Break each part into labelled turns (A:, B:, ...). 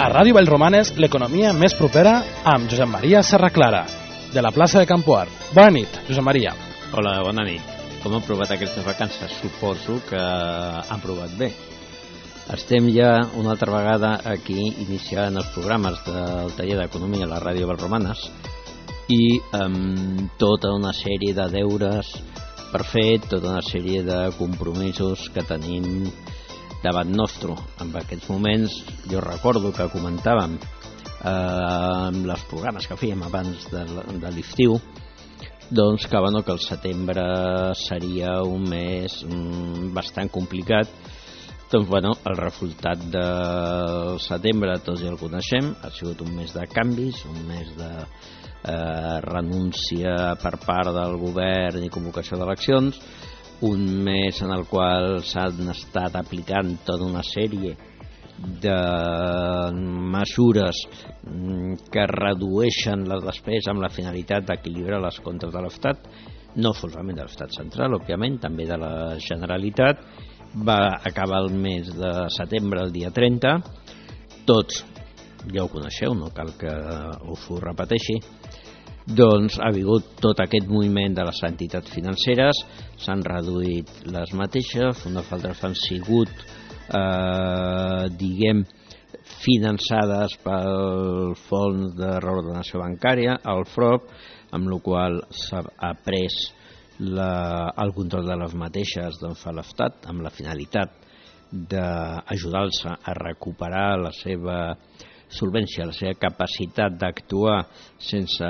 A: A Ràdio Vallromanes, l'economia més propera amb Josep Maria Serraclara, de la plaça de Campoar. Bona nit, Josep Maria.
B: Hola, bona nit. Com han provat aquestes vacances? Suposo que han provat bé. Estem ja una altra vegada aquí iniciant els programes del taller d'economia a la Ràdio Vallromanes i amb tota una sèrie de deures per fer, tota una sèrie de compromisos que tenim davant nostre. En aquests moments jo recordo que comentàvem amb els programes que fèiem abans de l'estiu, doncs que el setembre seria un mes bastant complicat. Doncs el resultat del setembre tots ja el coneixem, ha sigut un mes de canvis, un mes de renúncia per part del govern i convocació d'eleccions, un mes en el qual s'han estat aplicant tota una sèrie de mesures que redueixen la despesa amb la finalitat d'equilibrar les comptes de l'Estat, no solament de l'Estat central, òbviament, també de la Generalitat. Va acabar el mes de setembre, el dia 30. Tots ja ho coneixeu, no cal que us ho repeteixi. Doncs ha hagut tot aquest moviment de les entitats financeres, s'han reduït les mateixes, unes altres han sigut finançades pel Fons de Reordenació Bancària, el FROB, amb la qual s'ha pres el control de les mateixes a l'Estat amb la finalitat d'ajudar-los a recuperar la seva solvència, la seva capacitat d'actuar sense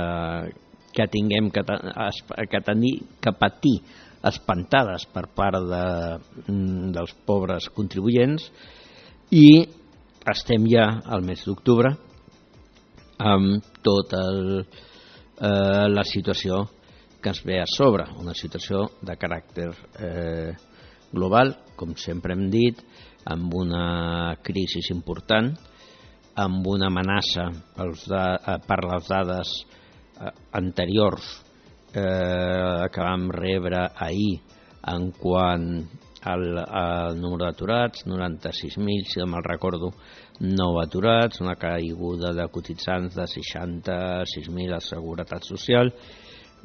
B: que tinguem que patir espantades per part dels pobres contribuents. I estem ja al mes d'octubre amb tota la situació que ens ve a sobre, una situació de caràcter global, com sempre hem dit, amb una crisi important, amb una amenaça per les dades anteriors que vam rebre ahir en quant al número d'aturats, 96.000, si no me'l recordo, nou aturats, una caiguda de cotitzants de 66.000 a la Seguretat Social,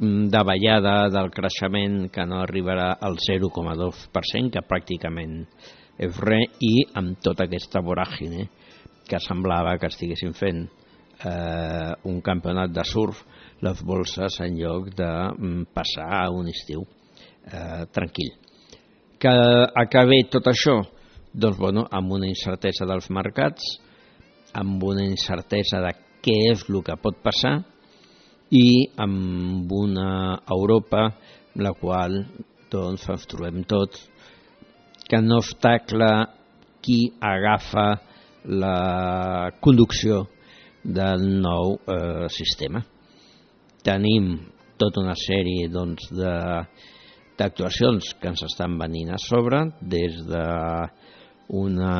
B: davallada del creixement que no arribarà al 0,2%, que pràcticament és res, i amb tota aquesta voràgine que semblava que estiguessin fent un campionat de surf les bolses en lloc de passar a un estiu tranquil. Que acabi tot això? Doncs amb una incertesa dels mercats, amb una incertesa de què és el que pot passar i amb una Europa la qual ens trobem tots que no està clar qui agafa la conducció del nou sistema. Tenim tota una sèrie d'actuacions que ens estan venint a sobre, des d'una,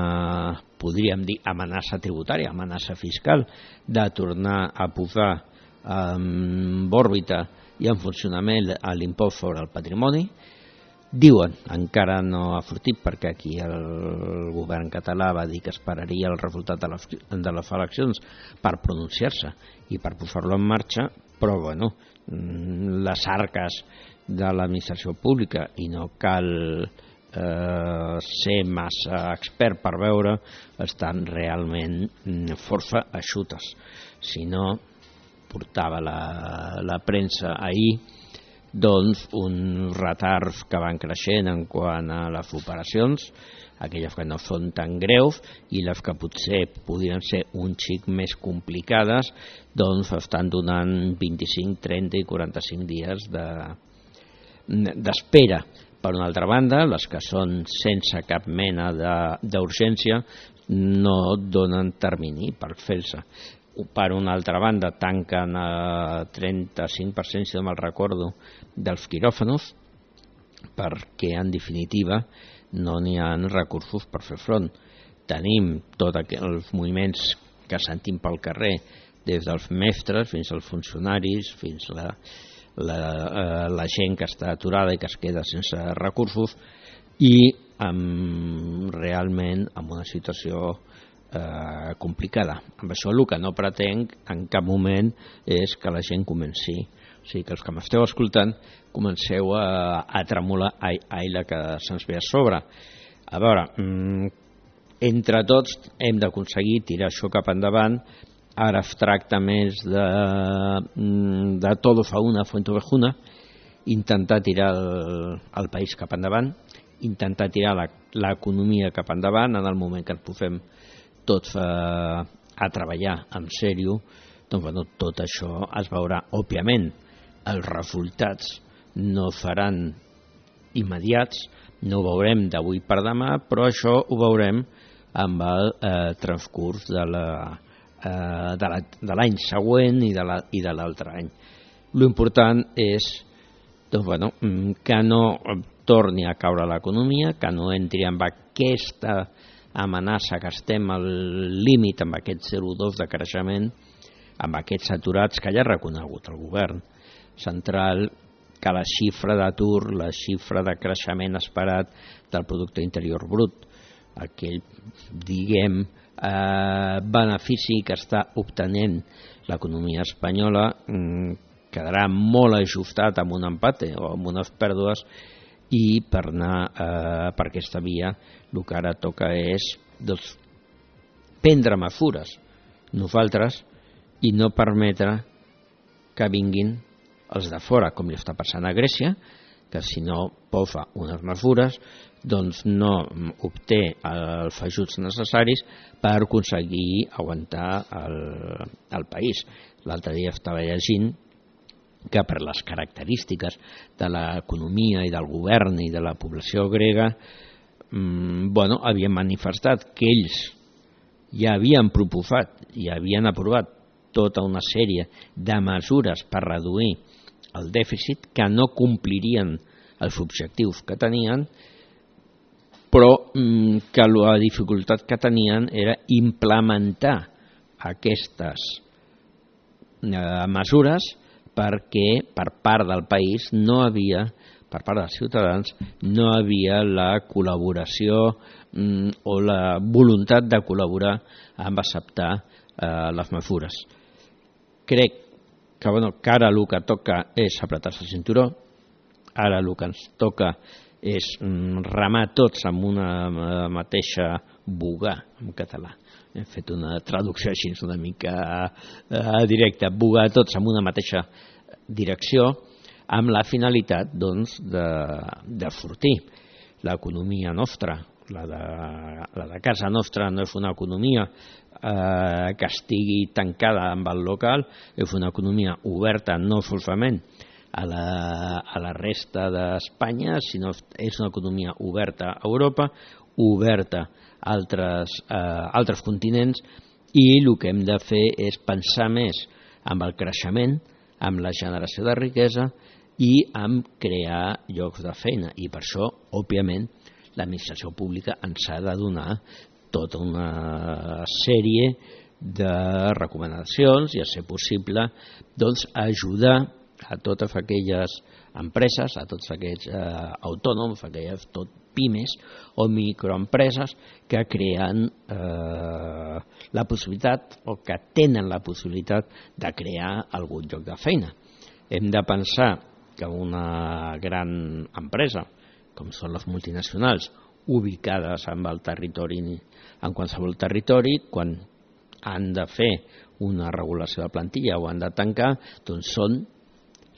B: podríem dir, amenaça tributària, amenaça fiscal, de tornar a posar en òrbita i en funcionament l'impost sobre el patrimoni. Diuen, encara no ha sortit perquè aquí el govern català va dir que esperaria el resultat de les eleccions per pronunciar-se i per posar-lo en marxa, però les arques de l'administració pública, i no cal ser massa expert per veure, estan realment força eixutes. Si no, portava la premsa ahir uns retards que van creixent en quant a les operacions, aquelles que no són tan greus i les que potser podrien ser un xic més complicades, estan donant 25, 30 i 45 dies d'espera. Per una altra banda, les que són sense cap mena d'urgència no donen termini per fer-se. Per una altra banda, tanquen el 35%, si no me'l recordo, dels quiròfanos, perquè en definitiva no n'hi ha recursos per fer front. Tenim tots els moviments que sentim pel carrer, des dels mestres fins als funcionaris, fins a la gent que està aturada i que es queda sense recursos, i realment amb una situació complicada. Amb això el que no pretenc en cap moment és que la gent comenci, o sigui que els que m'esteu escoltant comenceu a tremolar la que se'ns ve a sobre. A veure, entre tots hem d'aconseguir tirar això cap endavant. Ara es tracta més de todo fa una, fuente ovejuna, intentar tirar el país cap endavant, intentar tirar l'economia cap endavant. En el moment que ens posem tots a treballar en sèrio, doncs bueno, tot això es veurà. Òbviament, els resultats no seran immediats, no ho veurem d'avui per demà, però això ho veurem amb el transcurs de l'any següent i de l'altre any. L'important és doncs, bueno, que no torni a caure l'economia, que no entri amb aquesta amenaça que estem al límit amb aquest 0,2 de creixement, amb aquests aturats que ja ha reconegut el govern central, que la xifra d'atur, la xifra de creixement esperat del producte interior brut, aquell, diguem, benefici que està obtenint l'economia espanyola, quedarà molt ajustat amb un empate o amb unes pèrdues, i per anar per aquesta via el que ara toca és doncs, prendre mesures nosaltres i no permetre que vinguin els de fora, com li està passant a Grècia, que si no posa unes mesures doncs no obté els ajuts necessaris per aconseguir aguantar el país. L'altre dia estava llegint que per les característiques de l'economia i del govern i de la població grega havien manifestat que ells ja havien proposat i havien aprovat tota una sèrie de mesures per reduir el dèficit, que no complirien els objectius que tenien, però que la dificultat que tenien era implementar aquestes mesures perquè per part del país no havia, per part dels ciutadans, no havia la col·laboració o la voluntat de col·laborar amb acceptar les mesures. Crec que ara el que toca és apretar-se el cinturó, ara el que ens toca és remar tots amb una mateixa bogar, en català. Hem fet una traducció així una mica directa, bogar tots amb una mateixa direcció, amb la finalitat de sortir l'economia nostra. La de casa nostra no és una economia que estigui tancada amb el local, és una economia oberta no solament a la resta d'Espanya, sinó és una economia oberta a Europa, oberta a altres continents, i el que hem de fer és pensar més en el creixement, amb la generació de riquesa i amb crear llocs de feina. I per això, òbviament, l'administració pública ens ha de donar tota una sèrie de recomanacions i, a ser possible, doncs, ajudar a totes aquelles empreses, a tots aquells autònoms, aquelles pimes o microempreses que creen la possibilitat o que tenen la possibilitat de crear algun lloc de feina. Hem de pensar que una gran empresa, com són les multinacionals, ubicades en el territori, en qualsevol territori, quan han de fer una regulació de plantilla o han de tancar, doncs són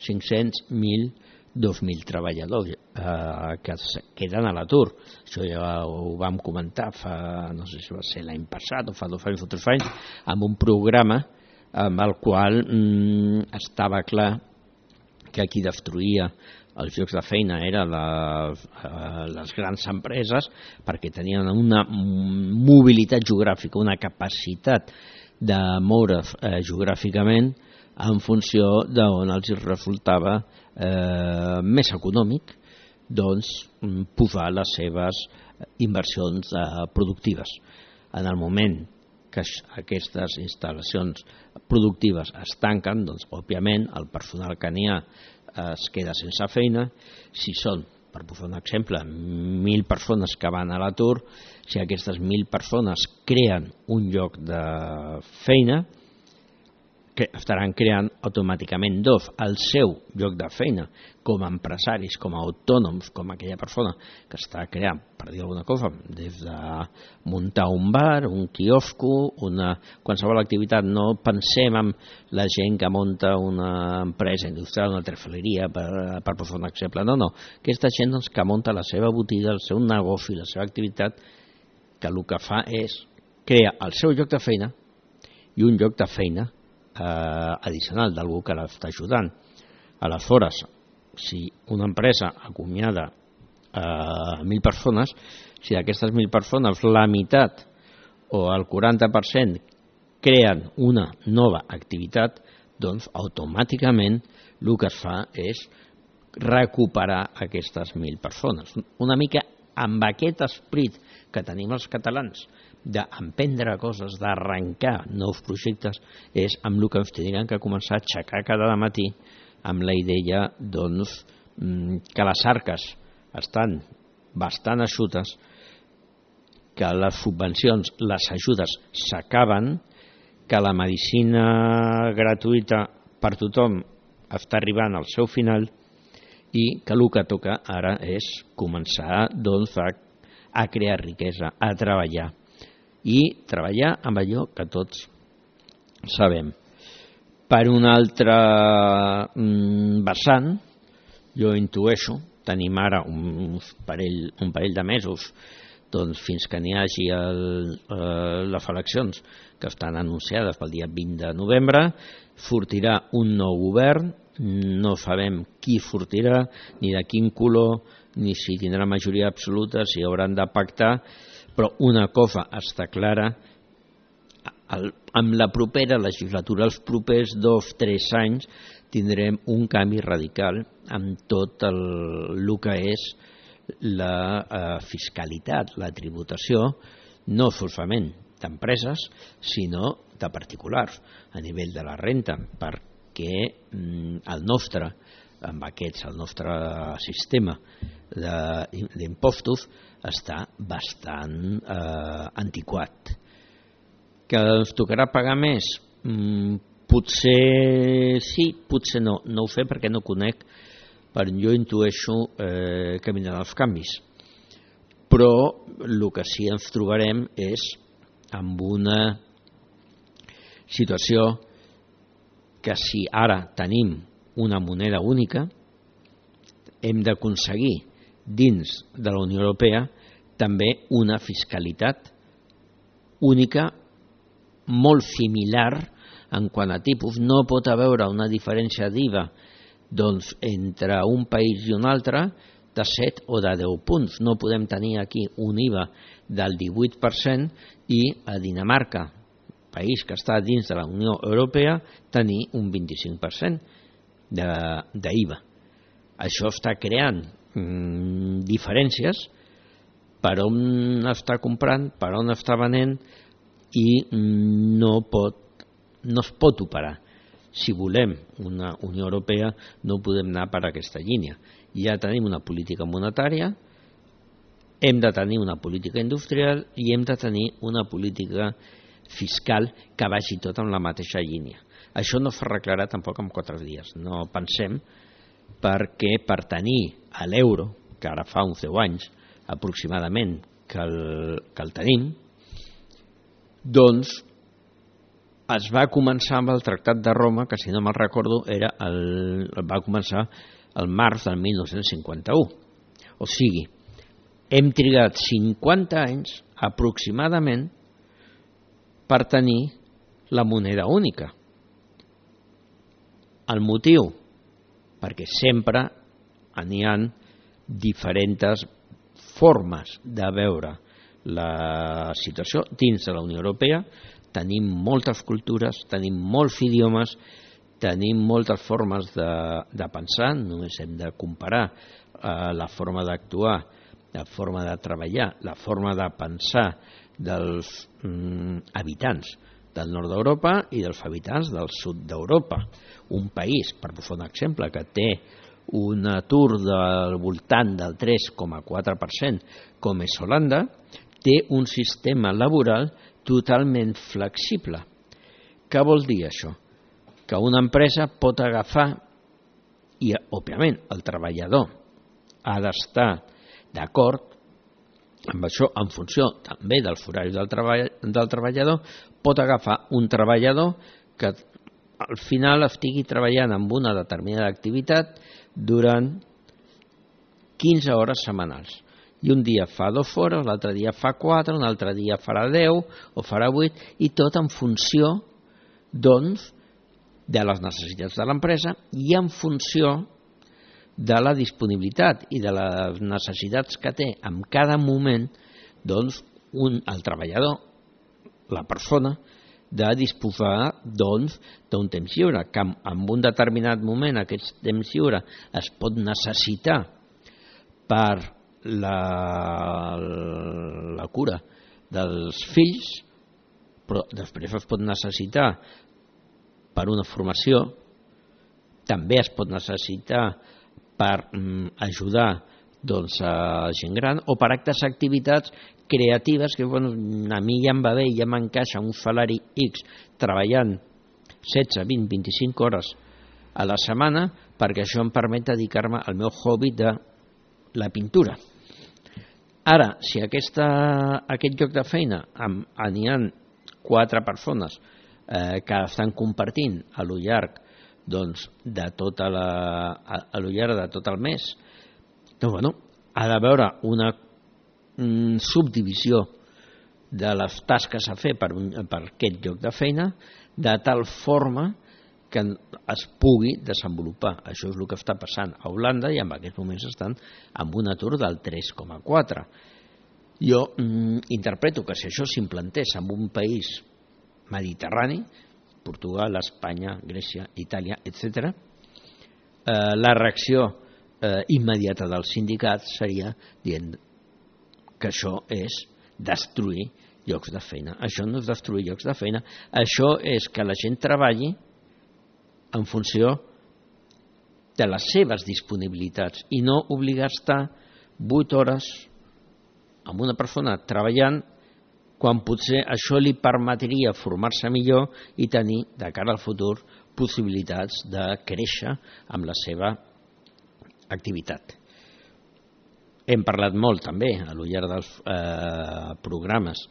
B: 500, 1.000, 2.000 treballadors que queden a l'atur. Això ja ho vam comentar no sé si va ser l'any passat o fa 2 anys o 3 anys, amb un programa amb el qual estava clar que qui destruïa els llocs de feina eren les grans empreses, perquè tenien una mobilitat geogràfica, una capacitat de moure's geogràficament en funció d'on els resultava més econòmic posar les seves inversions productives. En el moment que aquestes instal·lacions productives es tanquen, doncs, òbviament, el personal que n'hi ha es queda sense feina. Si són per posar un exemple, 1.000 persones que van a l'atur, si aquestes 1.000 persones creen un lloc de feina, que estaran creant automàticament el seu lloc de feina com a empresaris, com a autònoms, com aquella persona que està creant, per dir alguna cosa, des de muntar un bar, un quiosco, qualsevol activitat. No pensem en la gent que munta una empresa industrial, una trafaleria, per posar un exemple. No. Aquesta gent doncs, que munta la seva botiga, el seu negoci, la seva activitat, que el que fa és crear el seu lloc de feina i un lloc de feina addicional d'algú que l'està ajudant. Aleshores, si una empresa acomiada 1.000 persones, si d'aquestes 1.000 persones la meitat o el 40% creen una nova activitat, doncs automàticament el que es fa és recuperar aquestes 1.000 persones. Una mica amb aquest esperit que tenim els catalans d'emprendre coses, d'arrencar nous projectes, és amb el que ens tindrien que començar a aixecar cada matí amb la idea doncs, que les arques estan bastant eixutes, que les subvencions, les ajudes s'acaben, que la medicina gratuïta per tothom està arribant al seu final i que el que toca ara és començar doncs, a crear riquesa, a treballar i treballar amb allò que tots sabem. Per un altre vessant, jo intueixo, tenim ara un parell de mesos doncs, fins que n'hi hagi les eleccions que estan anunciades pel dia 20 de novembre, sortirà un nou govern, no sabem qui sortirà, ni de quin color, ni si tindrà majoria absoluta, si hauran de pactar, però una cosa està clara, amb la propera legislatura, els propers 2-3 anys, tindrem un canvi radical amb tot el que és la fiscalitat, la tributació, no solament d'empreses, sinó de particulars, a nivell de la renta, perquè el nostre sistema d'impostos està bastant antiquat. Que ens tocarà pagar més? Potser sí, potser no. No ho sé perquè no conec, però jo intueixo que vindran els canvis. Però el que sí ens trobarem és amb una situació que si ara tenim una moneda única, hem d'aconseguir dins de la Unió Europea també una fiscalitat única molt similar en quant a tipus. No pot haver una diferència d'IVA doncs, entre un país i un altre de 7 o de 10 punts. No podem tenir aquí un IVA del 18% i a Dinamarca, país que està dins de la Unió Europea, tenir un 25% d'IVA. Això està creant diferències per on està comprant, per on està venent i no es pot operar. Si volem una Unió Europea no podem anar per aquesta línia. Ja tenim una política monetària, hem de tenir una política industrial i hem de tenir una política fiscal que vagi tot en la mateixa línia. Això no s'arreglarà tampoc en 4 dies, no pensem, perquè per tenir l'euro, que ara fa uns 10 anys aproximadament que el tenim, doncs es va començar amb el Tractat de Roma, que si no me'n recordo va començar el març del 1951. O sigui, hem trigat 50 anys aproximadament per tenir la moneda única. El motiu? Perquè sempre n'hi ha diferents formes de veure la situació dins de la Unió Europea. Tenim moltes cultures, tenim molts idiomes, tenim moltes formes de pensar, només hem de comparar la forma d'actuar, la forma de treballar, la forma de pensar dels habitants del nord d'Europa i dels habitants del sud d'Europa. Un país, per posar un exemple, que té un atur del voltant del 3,4%, com és Holanda, té un sistema laboral totalment flexible. Què vol dir això? Que una empresa pot agafar, i òbviament el treballador ha d'estar d'acord amb això en funció també dels horaris del treballador, pot agafar un treballador que al final estigui treballant amb una determinada activitat durant 15 hores setmanals. I un dia fa 2 hores, l'altre dia fa 4, un altre dia farà 10 o farà 8, i tot en funció, doncs, de les necessitats de l'empresa i en funció de la disponibilitat i de les necessitats que té en cada moment, doncs, el treballador, la persona, de disposar doncs, d'un temps lliure, que en un determinat moment aquest temps lliure es pot necessitar per la cura dels fills, però després es pot necessitar per una formació, també es pot necessitar per ajudar doncs, a gent gran o per actes activitats creatives que bueno, a mi ja em va bé, ja m'encaixa un salari X treballant 16, 20, 25 hores a la setmana perquè això em permet dedicar-me al meu hobby de la pintura. Ara, si aquest lloc de feina n'hi ha 4 persones que estan compartint a lo llarg doncs, de tot el mes, doncs, bueno, ha de veure una subdivisió de les tasques a fer per aquest lloc de feina de tal forma que es pugui desenvolupar. Això és el que està passant a Holanda i en aquests moments estan amb un atur del 3,4. Jo interpreto que si això s'implantés en un país mediterrani, Portugal, Espanya, Grècia, Itàlia, etc., la reacció immediata dels sindicats seria dient que això és destruir llocs de feina. Això no és destruir llocs de feina, això és que la gent treballi en funció de les seves disponibilitats i no obligar a estar 8 hores amb una persona treballant quan potser això li permetria formar-se millor i tenir de cara al futur possibilitats de créixer amb la seva activitat. Hem parlat molt també a lo llarg dels programes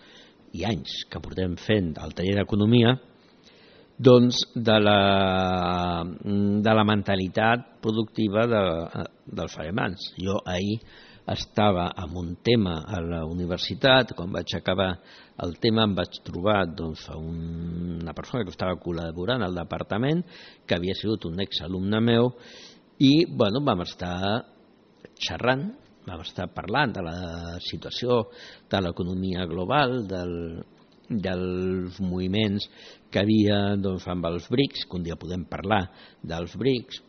B: i anys que portem fent al taller d'economia doncs de la mentalitat productiva dels alemans. Jo ahir estava amb un tema a la universitat, quan vaig acabar el tema em vaig trobar doncs, una persona que estava col·laborant al departament, que havia sigut un exalumne meu, i bueno, vam estar xerrant, vam estar parlant de la situació de l'economia global, dels moviments que havia doncs, amb els BRICS, que un dia podem parlar dels BRICS,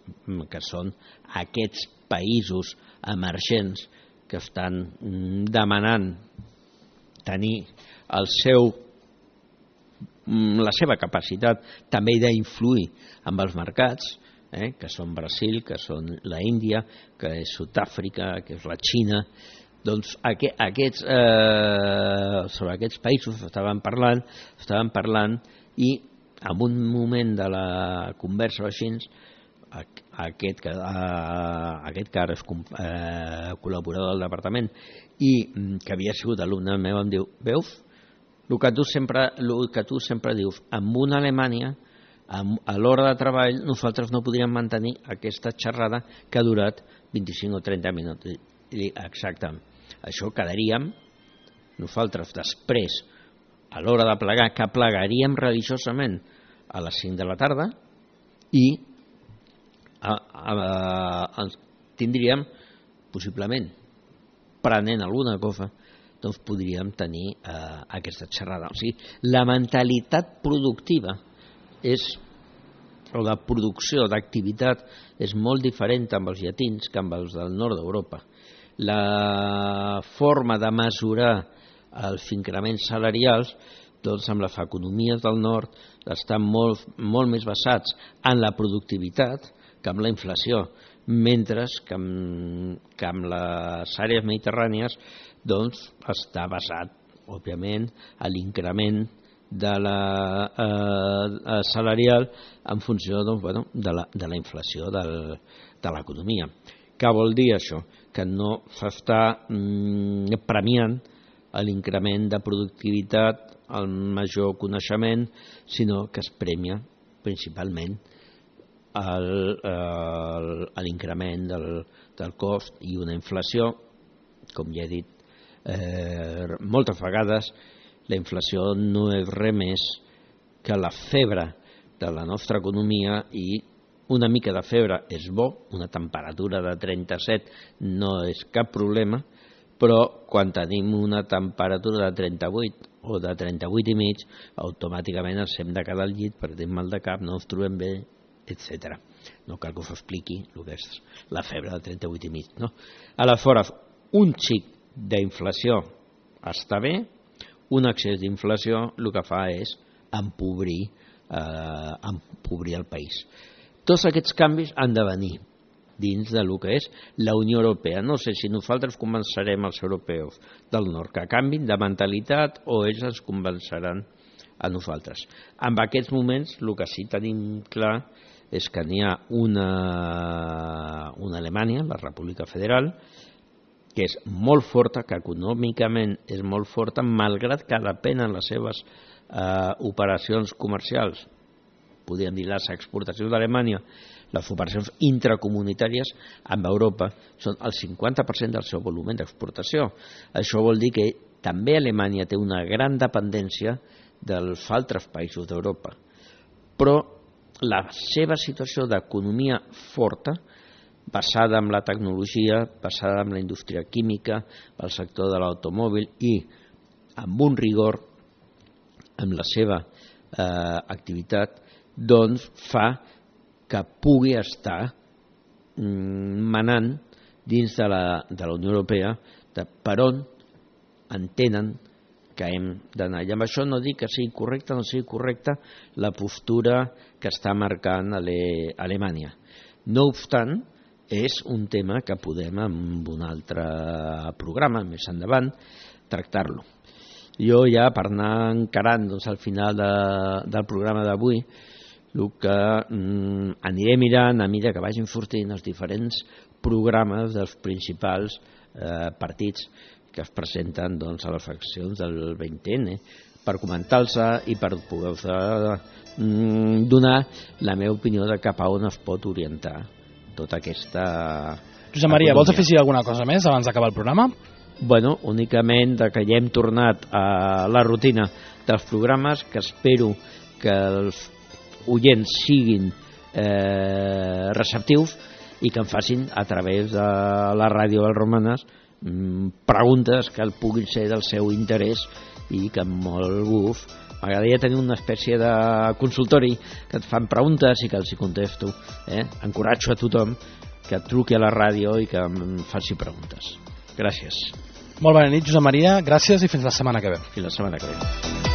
B: que són aquests països emergents que estan demanant tenir la seva capacitat també d'influir amb els mercats, que són Brasil, que són la Índia, que és Sud-àfrica, que és la Xina. Doncs sobre aquests països estaven parlant i en un moment de la conversa així, aquest que ara és col·laborador del departament i que havia sigut alumne meu em diu, veus, el que tu sempre dius, amb una Alemanya a l'hora de treball nosaltres no podríem mantenir aquesta xerrada que ha durat 25 o 30 minuts. I dic, exactament, això quedaríem nosaltres després a l'hora de plegar, que plegaríem religiosament a les 5 de la tarda i tindríem, possiblement, prenent alguna cosa, doncs podríem tenir aquesta xerrada. O sigui, la mentalitat productiva o la producció d'activitat és molt diferent amb els llatins que amb els del nord d'Europa. La forma de mesurar els increments salarials doncs amb les economies del nord estan molt més basats en la productivitat que amb la inflació. mentre que amb les àrees mediterrànies doncs, està basat, òbviament, a l'increment de la salarial en funció doncs, de la inflació de l'economia. Què vol dir això? Que no s'està premiant l'increment de productivitat, el major coneixement, sinó que es premia principalment l'increment del cost i una inflació, com ja he dit moltes vegades, la inflació no és res més que la febre de la nostra economia, i una mica de febre és bo, una temperatura de 37 no és cap problema, però quan tenim una temperatura de 38 o de 38 i mig, automàticament ens hem de quedar al llit perquè tenim mal de cap, no ens trobem bé, etc. No cal que us expliqui el que és la febre de 38 i mig. No? Aleshores, un xic d'inflació està bé, un excés d'inflació el que fa és empobrir el país. Tots aquests canvis han de venir dins del que és la Unió Europea. No sé si nosaltres convencerem els europeus del nord que canvin de mentalitat o ells ens convenceran a nosaltres. En aquests moments el que sí tenim clar és que n'hi ha una Alemanya, la República Federal, que és molt forta, que econòmicament és molt forta, malgrat que depenen les seves operacions comercials, podríem dir les exportacions d'Alemanya, les operacions intracomunitàries amb Europa són el 50% del seu volum d'exportació. Això vol dir que també Alemanya té una gran dependència dels altres països d'Europa. Però la seva situació d'economia forta, basada en la tecnologia, basada en la indústria química, el sector de l'automòbil i amb un rigor en la seva activitat, doncs fa que pugui estar manant dins de la Unió Europea per on entenen que hem d'anar. I amb això no dic que sigui correcta o no sigui correcta la postura que està marcant Alemanya. No obstant, és un tema que podem en un altre programa més endavant tractar-lo. Jo ja per anar encarant doncs, al final del programa d'avui, el que aniré mirant a mesura que vagin sortint els diferents programes dels principals partits que es presenten doncs, a les eleccions del 20N, per comentar-los i per poder donar la meva opinió de cap a on es pot orientar tota aquesta
A: Josep Maria, vols afegir alguna cosa més abans d'acabar el programa?
B: Bueno, únicament que ja hem tornat a la rutina dels programes, que espero que els oients siguin receptius i que em facin a través de la ràdio del Romanes preguntes que puguin ser del seu interès i que amb molt gust m'agradaria tenir una espècie de consultori que et fan preguntes i que els hi contesto. Encoratjo a tothom que et truqui a la ràdio i que em faci preguntes. Gràcies.
A: Molt bona nit, Josep Maria, gràcies i fins la setmana que ve.
B: Fins la setmana que ve.